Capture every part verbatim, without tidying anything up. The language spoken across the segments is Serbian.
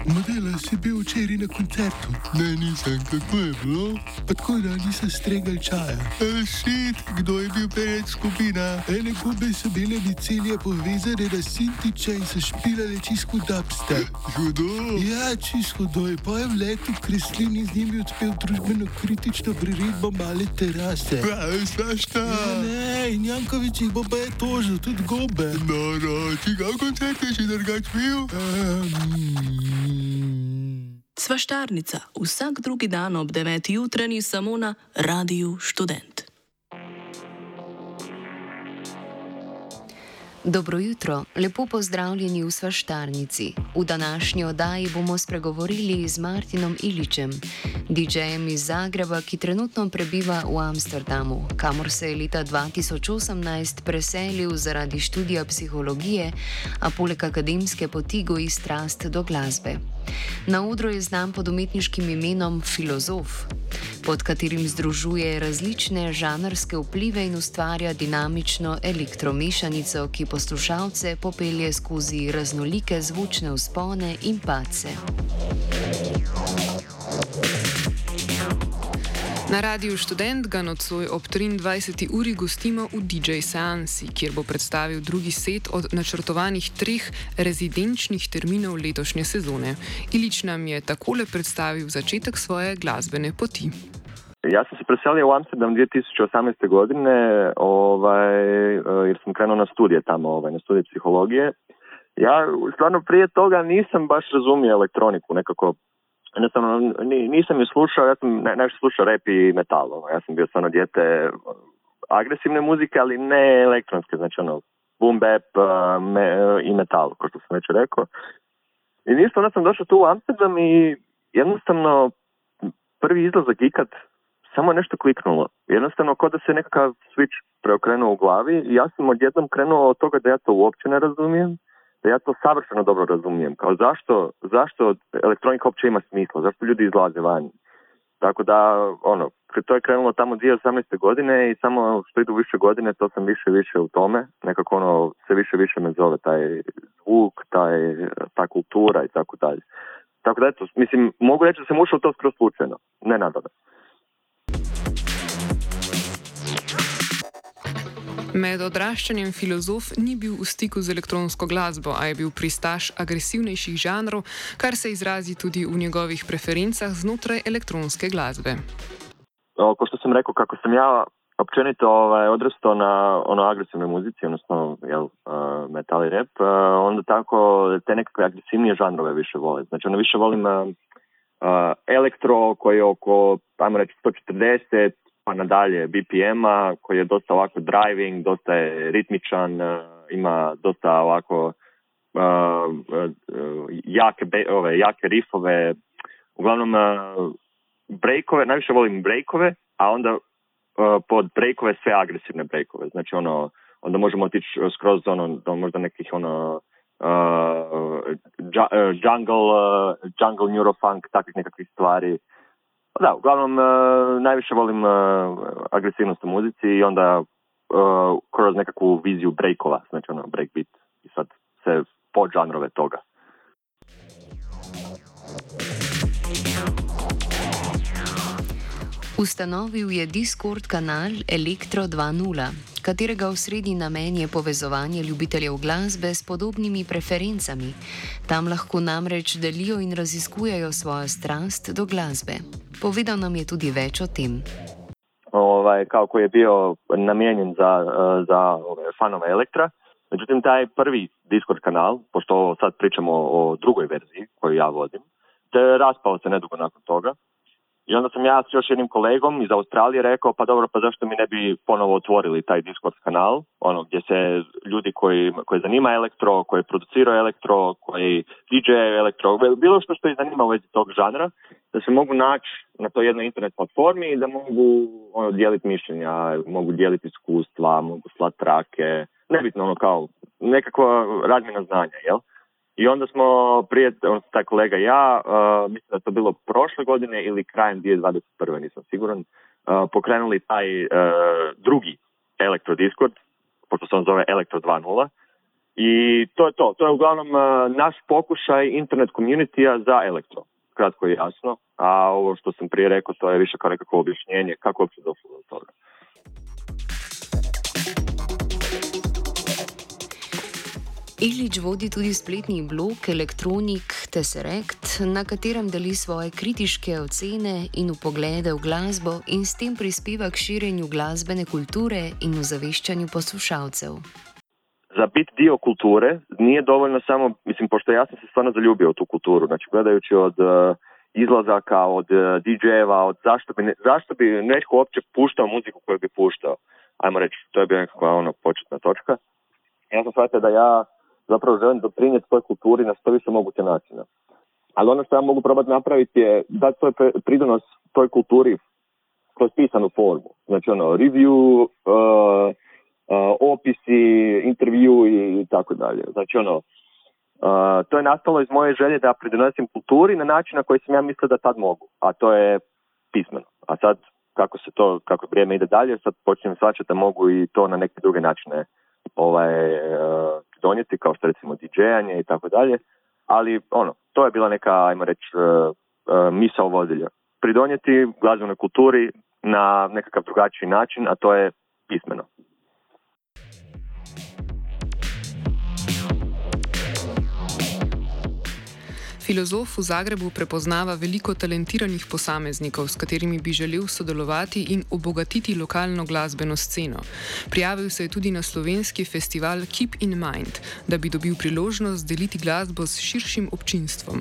Modela, si bil včeraj na koncertu? Ne, nisem, kako je bilo? Pa tako, da nisem stregal čaja. E, šit, kdo je bil pred skupina? Ene gube so bile micelje povezane na Sintiča in so špilale čisto dubstep. Hudo? Ja, čisto hudo. Je pa je v letu Kreslin in z njimi odspel družbeno kritično priredbo Male terase. Pravi, svašta. Ja, ne, in Jankovič jih bo pa je tožil, tudi gobe. No, no, čigav koncert je še drugač bil? Um... Svaštarnica, vsak drugi dan ob deveti jutranji samo na Radiu Študent. Dobro jutro, lepo pozdravljeni v Svaštarnici. V današnji oddaji bomo spregovorili z Martinom Ilićem, didžejem iz Zagreba, ki trenutno prebiva v Amsterdamu, kamor se je leta dva tisoč osemnajst preselil zaradi študija psihologije, a poleg akademske poti goji strast do glasbe. Na odru je znan pod umetniškim imenom Filozof, pod katerim združuje različne žanrske vplive in ustvarja dinamično elektromešanico, ki poslušalce popelje skozi raznolike zvočne vzpone in padce. Na Radiu Študent ga nocoj ob triindvajseti uri gostimo v didžej seansi, kjer bo predstavil drugi set od načrtovanih treh rezidenčnih terminov letošnje sezone. Ilić nam je takole predstavil začetek svoje glasbene poti. Ja sam se preselio u Amsterdam dvije tisuće osamnaeste. godine, ovaj, jer sam krenuo na studije tamo, ovaj, na studije psihologije. Ja stvarno prije toga nisam baš razumio elektroniku, nekako, jednostavno nisam ju slušao, ja sam najviše slušao rap i metal, ovaj. Ja sam bio stvarno dijete agresivne muzike, ali ne elektronske, znači ono, boom bap me, i metal, kao što sam već rekao. I ništa, onda sam došao tu u Amsterdam i jednostavno prvi izlazak ikad samo nešto kliknulo. Jednostavno kao da se nekakav switch preokrenuo u glavi i ja sam odjednom krenuo od toga da ja to uopće ne razumijem, da ja to savršeno dobro razumijem. Kao zašto, zašto elektronika uopće ima smisla, zašto ljudi izlaze van. Tako da, ono, to je krenulo tamo dvije tisuće osamnaeste. godine i samo što idu više godine, to sam više više u tome. Nekako ono, sve više više me zove taj zvuk, taj, ta kultura i tako dalje. Tako da, eto, mislim, mogu reći da sam ušao to skroz slučajno, ne nadalje. Med odraščanjem Filozof ni bil v stiku z elektronsko glasbo, a je bil pristaš agresivnejših žanrov, kar se izrazi tudi v njegovih preferencah znotraj elektronske glasbe. O, ko što sam rekao, kako sam ja općenito ovaj, odrastao na ono agresivnoj muzici, odnosno jel, uh, metal i rap, uh, onda tako te nekakve agresivnije žanrove više volim. Znači ono više volim uh, uh, elektro koji je oko, ajmo reći, sto četrdeset, pa nadalje B P M-a, koji je dosta ovako driving, dosta je ritmičan, uh, ima dosta ovako uh, uh, jake, be, ove, jake riffove, uglavnom uh, breakove, najviše volim breakove, a onda uh, pod breakove sve agresivne breakove, znači ono, onda možemo otići skroz ono, do možda nekih ono uh, jungle, uh, jungle neurofunk, takvih nekakvih stvari. Da, uglavnom, uh, najviše volim uh, agresivnost u muzici i onda uh, kroz nekakvu viziju breakova, znači ono, breakbeat i sad se podžanrove toga. Ustanovil je Discord kanal Elektro dva nula, katerega osrednji namen je povezovanje ljubiteljev glasbe s podobnimi preferencami. Tam lahko namreč delijo in raziskujejo svojo strast do glasbe. Povedal nam je tudi več o tem. Ovaj, kao koji je bio namijenjen za, za ove, fanove Elektra. Međutim, taj prvi Discord kanal, pošto sad pričamo o drugoj verziji koju ja vodim, te raspao se nedugo nakon toga. I onda sam ja s još jednim kolegom iz Australije rekao, pa dobro, pa zašto mi ne bi ponovo otvorili taj Discord kanal, ono gdje se ljudi koji, koji zanima elektro, koji produciraju elektro, koji D J elektro, bilo što što ih zanima u vezi tog žanra, da se mogu naći na toj jednoj internet platformi i da mogu ono, dijeliti mišljenja, mogu dijeliti iskustva, mogu slati trake, nebitno ono kao nekakva razmjena znanja, jel? I onda smo prije, on, taj kolega i ja, uh, mislim da je to bilo prošle godine ili krajem dvije tisuće dvadeset prve, nisam siguran, uh, pokrenuli taj uh, drugi Elektro Discord, pošto se on zove Elektro dva nula. I to je to. To je uglavnom uh, naš pokušaj internet community-a za elektro. Kratko i jasno. A ovo što sam prije rekao, to je više kao nekako objašnjenje kako uopće došlo do toga. Ilić vodi tudi spletni blog Elektronik Tesseract, na katerem deli svoje kritiške ocene in vpoglede v glasbo in s tem prispeva k širjenju glasbene kulture in ozaveščanju poslušalcev. Za biti dio kulture nije dovoljno samo, mislim, pošto ja sam se stvarno zaljubio u tu kulturu, znači gledajući od uh, izlazaka, od uh, di džejeva, od zašto bi, ne, zašto bi netko uopće puštao muziku koju bi puštao. Ajmo reći, to je bila nekakva ono, početna točka. Ja sam shvatio da ja zapravo želim doprinijeti toj kulturi na što više moguće načina. Ali ono što ja mogu probati napraviti je dati svoj pridonos toj kulturi kroz pisanu formu. Znači ono, review, uh, uh, opisi, intervju i tako dalje. Znači ono, uh, to je nastalo iz moje želje da pridonosim kulturi na način na koji sam ja mislio da tad mogu. A to je pismeno. A sad, kako se to, kako vrijeme ide dalje, sad počnem shvaćati da mogu i to na neke druge načine ovaj, uh, donijeti, kao što recimo didžejanje i tako dalje, ali ono, to je bila neka, ajmo reći, uh, uh, misao vodilja. Pridonijeti glazbenoj kulturi na nekakav drugačiji način, a to je pismeno. Filozof v Zagrebu prepoznava veliko talentiranih posameznikov, s katerimi bi želel sodelovati in obogatiti lokalno glasbeno sceno. Prijavil se je tudi na slovenski festival Keep in Mind, da bi dobil priložnost deliti glasbo s širšim občinstvom.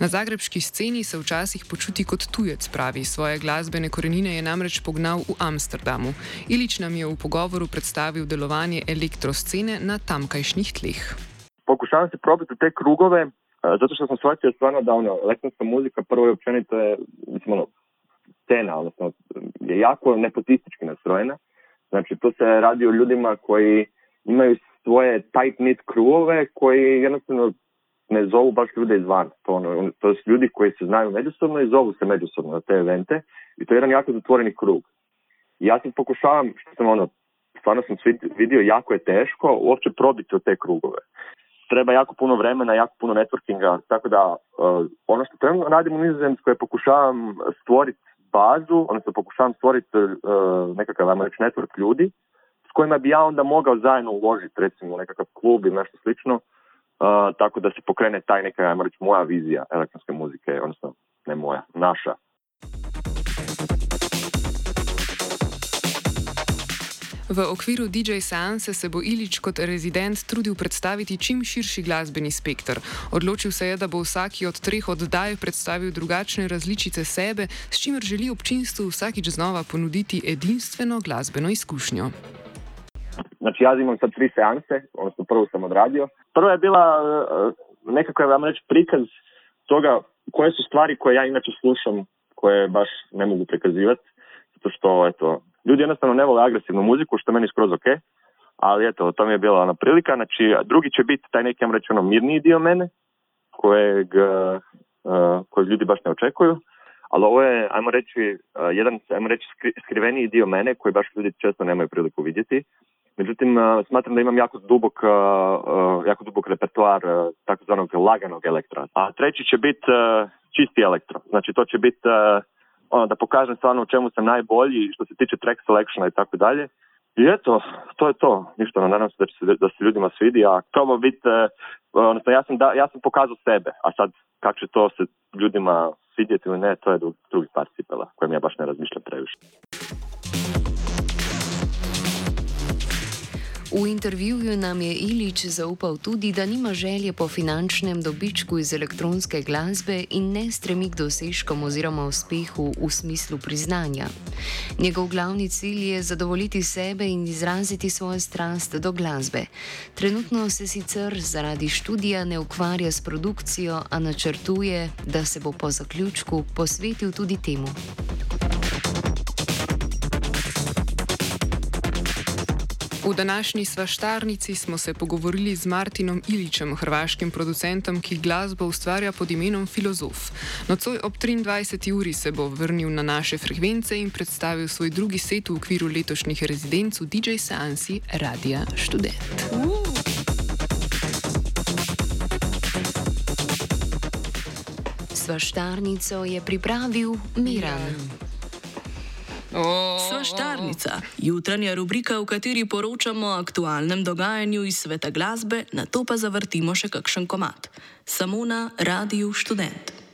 Na zagrebški sceni se včasih počuti kot tujec, pravi. Svoje glasbene korenine je namreč pognal v Amsterdamu. Ilić nam je v pogovoru predstavil delovanje elektroscene na tamkajšnjih tleh. Pokušavam se probiti te krugove, zato što sam shvatio stvarno da ono, elektronska muzika prvo i općenito je, mislim, ono, scena, odnosno, je jako nepotistički nastrojena. Znači, tu se radi o ljudima koji imaju svoje tight-knit krugove koji jednostavno ne zovu baš ljude izvana. To, ono, to su ljudi koji se znaju međusobno i zovu se međusobno na te evente i to je jedan jako zatvoreni krug. I ja sam pokušavam, što sam ono, stvarno sam vidio, jako je teško uopće probiti u te krugove. Treba jako puno vremena, jako puno networkinga, tako da uh, ono što trenutno radim u Nizozemskoj je pokušavam stvoriti bazu, odnosno pokušavam stvoriti uh, nekakav, ajmo reći, network ljudi s kojima bi ja onda mogao zajedno uložiti, recimo, u nekakav klub ili nešto slično, uh, tako da se pokrene taj neka, ajmo reći, moja vizija elektronske muzike, odnosno ne moja, naša. V okviru di džej seanse se bo Ilić kot rezident trudil predstaviti čim širši glasbeni spekter. Odločil se je, da bo vsaki od treh oddaj predstavil drugačne različice sebe, s čimer želi občinstvu vsakič znova ponuditi edinstveno glasbeno izkušnjo. Znači, ja imam sad tri seanse, odnosno prvu sam odradio. Prva je bila uh, nekako, vam reći, prikaz toga koje su stvari koje ja inače slušam, koje baš ne mogu prikazivati, zato što, eto, ljudi jednostavno ne vole agresivnu muziku, što meni skroz ok, ali eto, to mi je bila ona prilika. Znači, drugi će biti taj neki, ja reći, ono, mirniji dio mene, kojeg, uh, kojeg ljudi baš ne očekuju, ali ovo je, ajmo reći, uh, jedan, ajmo reći, skri, skriveniji dio mene, koji baš ljudi često nemaju priliku vidjeti. Međutim, uh, smatram da imam jako dubok, uh, uh, jako dubok repertoar uh, takozvanog laganog elektra. A treći će biti uh, čisti elektro. Znači, to će biti uh, ono, da pokažem stvarno u čemu sam najbolji što se tiče track selectiona i tako dalje. I eto, to je to. Ništa, no, nadam se da, će se da se ljudima svidi, a probao biti, uh, odnosno ja sam, da, ja sam pokazao sebe, a sad kako će to se ljudima svidjeti ili ne, to je drugi par cipela, kojem ja baš ne razmišljam previše. V intervjuju nam je Ilić zaupal tudi, da nima želje po finančnem dobičku iz elektronske glasbe in ne stremi k dosežkom oziroma uspehu v smislu priznanja. Njegov glavni cilj je zadovoljiti sebe in izraziti svojo strast do glasbe. Trenutno se sicer zaradi študija ne ukvarja s produkcijo, a načrtuje, da se bo po zaključku posvetil tudi temu. V današnji svaštarnici smo se pogovorili z Martinom Ilićem, hrvaškim producentom, ki glasbo ustvarja pod imenom Filozof. Nocoj ob triindvajseti uri se bo vrnil na naše frekvence in predstavil svoj drugi set v okviru letošnjih rezidenc v di džej seansi Radia Študent. Uh. Svaštarnico je pripravil Miran. Svaštarnica, jutranja rubrika, v kateri poročamo o aktualnem dogajanju iz sveta glasbe, nato pa zavrtimo še kakšen komad. Samo na Radiu Študent.